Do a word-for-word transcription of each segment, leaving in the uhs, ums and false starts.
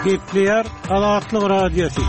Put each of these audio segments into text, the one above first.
Gepleýär Azatlyk Radiosy.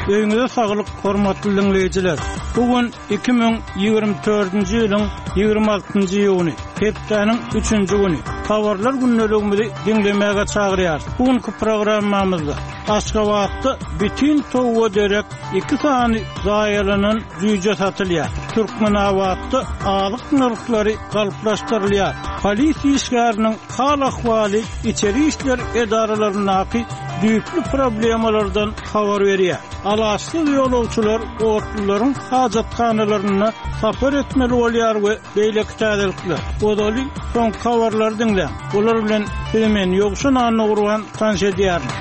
Öýüňize saglyk, hormatly diňleýjiler. Bu gün iki müň ýigrimi dördünji ýylyň ýigrimi altynjy iýuny, hepdäniň üçünji güni. Habarlar gündeligimizi diňlemäge çagyrýarys. Bu günki programmamyzda Aşgabatda bütin towuga derek iki sany zaýalanan jüýje satylýar. Türkmenabatda azyk nyrhlary galplaşdyrylýar. Polisiýa işgäriniň hal-ahwaly içeri işler edaralaryndaky düýpli problemalardan habar berýär. Alaçsyz ýolagçylar otlularyň hajathanalarynda sapar etmeli bolýar we beýleki täzelikler. Ozaly soňky habarlary diňläň. Olar bilen sizi men Ýowşan Annagurban tanyş edýärin.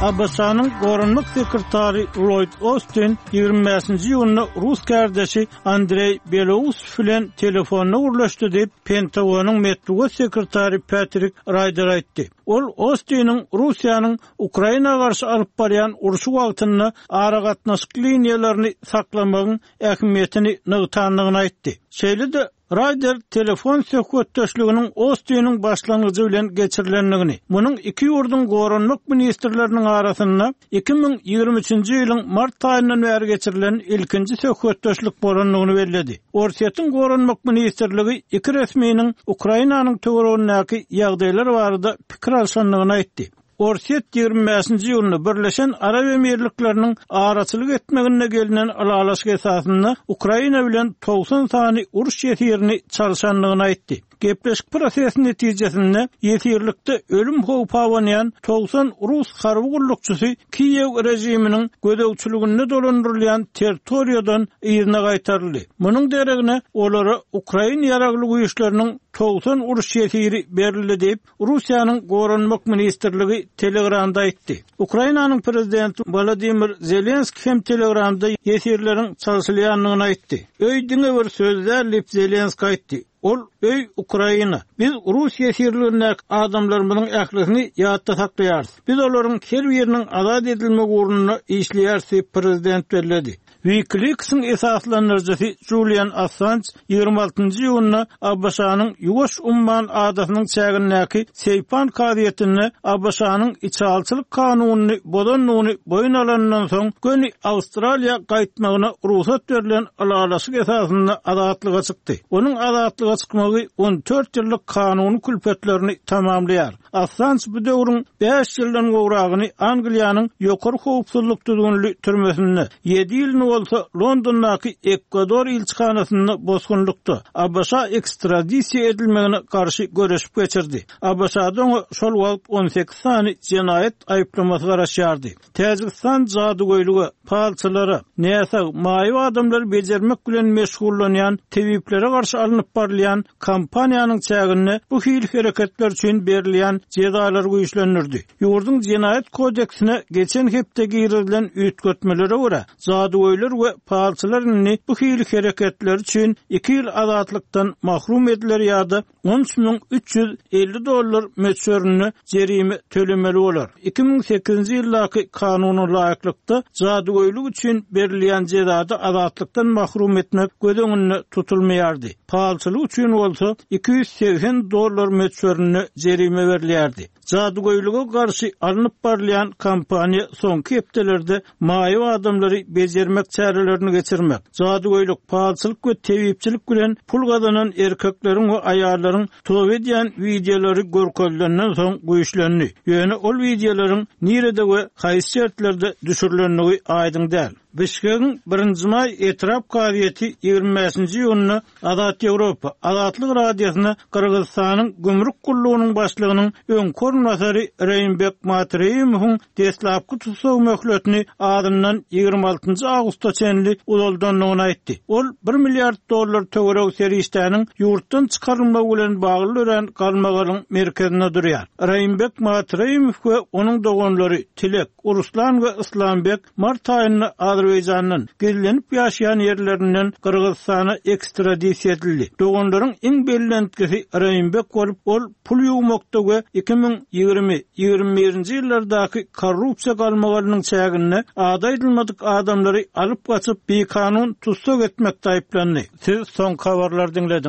A B Ş-nyň goranmak sekretary Lloyd Austin ýigrimi bäşinji iýunda rus kärdeşi Andreý Belousow bilen telefonda gürleşdi diýip, Pentagonyň metbugat sekretary Patrick Ryder aýtdy. Ol Austiniň Russiýanyň Ukraina garşy alyp barýan urşy wagtynda aragatnaşyk liniýalaryny saklamagyň ähmiýetini nygtandygyny aýtdy. Şeýle-de Ryder telefon söhbetdeşliginiň Austiniň başlangyjy bilen geçirilendigini, munuň iki ýurduň goranmak ministrleriniň arasynda iki müň ýigrimi üçünji ýylyň mart aýyndan bäri geçirilen ilkinji söhbetdeşlik bolandygyny belledi. Orsýetiň goranmak ministrligi iki resminiň Ukrainanyň töweregindäki ýagdaýlar barada pikir alşandygyny aýtdy. Orsýet ýigrimi bäşinji iýunda Birleşen Arap Emirlikleriniň araçylyk etmeginde gelinen ylalaşyk esasynda Ukraina bilen togsan sany uruş ýesirini çalşandygyny aýtdy. Gepleşik prosesi netijesinde ýesirlikde ölüm howpy abanýan togsan rus harby gullukçysy Kiýew režiminiň gözegçiliginde dolandyrylýan territoriýadan yzyna gaýtaryldy. Munuň deregine olara Ukraina ýaragly güýçleriniň togsan uruş ýesiri berildi diýip, Russiýanyň Goranmak ministrligi Telegramda aýtdy. Ukrainanyň prezidenti Wladimir Zelenski hem Telegramda ýesirleriň çalşylýandygyny aýtdy. Öý diňe bir söz däl diýip Zelenski aýtdy. Ol öý Ukraina. Biz rus ýesirlerindäki adamlarymyzyň ählisini ýatda saklaýarys. Biz olaryň her biriniň azat edilmegi ugrunda işleýäris diýip prezident belledi. WikiLeaks'yň esaslandyryjysy Julian Assange ýigrimi altynjy iýunda A B Ş-nyň Ýuwaş Umman adasynyň çägindäki Seýpan kazyýetinde A B Ş-nyň içalçylyk kanunyny bozandygyny boýun alandan soň göni Awstraliýa gaýtmagyna rugsat berlen ylalaşyk esasynda azatlyga çykdy. Onuň azatlyga çykmagy on dört ýyllyk kanuny külpetlerini tamamlaýar. Assange bu döwrüň bäş ýyldan gowragyny Angliýanyň ýokary howpsuzlyk düzgünli türmesinde, ýedi ýylyny bolsa Londondaky Ekvador ilçihanasynda bosgunlykda A B Ş ekstradisiýa edilmegine garşy göreşip geçirdi. A B Ş-da oňa şol wagt on sekiz sany jenaýat aýyplamasy garaşýardy. Täjigistan jadygöýlüge, palçylara, näsag, maýyp adamlary bejermek bilen meşgullanýan tebiplere garşy alnyp barylýan kampaniýanyň çäginde bu hil hereketler üçin berilýän jezalary güýçlendirdi. Ýurduň jenaýat kodeksine geçen hepde girizilen üýtgetmelere görä, jadygöýler we palçylar indi bu hil hereketler üçin iki ýyl azatlykdan mahrum ediler ýa-da on üç müň üç ýüz elli dollar möçberinde jerime tölemeli bolar. Iki müň sekizinji ýyldaky kanuna laýyklykda jadygöýlük üçin berilýän jezada azatlykdan mahrum etmek göz öňünde tutulmaýardy. Palçylyk üçin bolsa iki ýüz segsen dollar möçberinde jerime berilýärdi. Jadygöýlüge garşy alnyp barylýan kampaniýa soňky hepdelerde maýyp adamlary bejermek çärelerini geçirmek, jadygöýlük, palçylyk we tebipçilik bilen pul gazanan erkekleriň we aýallaryň toba edýän wideolary görkezilenden soň güýçlendi. Ýöne ol wideolaryň nirede we haýsy şertlerde düşürilendigi aýdyň däl. Bişkegiň birinji maý etrap kazyýeti ýigrimi bäşinji iýunda Azat Ýewropa, Azatlyk Radiosyna Gyrgyzystanyň gümrük gullugynyň başlygynyň öňki orunbasary Reýimbek Matreýewowyň deslapky tussag möhletini azyndan ýigrimi altynjy awgusta çenli uzaldandygyny aýtdy. Ol bir milliard dollar töweregi serişdäniň ýurtdan çykarylmagy bilen bagly dörän galmagalyň merkezinde durýar. Reýimbek Matreýewow we onuň doganlary Tilek, Uruslan we Islambek mart aýynda Azerbaýjandan gizlenip ýaşaýan ýerlerinden Gyrgyzystana ekstradisiýa edildi. Doganlaryň iň bellentkisi Reýimbek bolup, ol pul ýuwmakda we iki müň ýigrimi, ýigrimi birinji ýyllardaky korrupsiýa galmagalynyň çäginde ada aýdylmadyk adamlary alyp gaçyp bikanun tussag etmekde aýyplandy. Siz soňky habarlary diňlediňiz.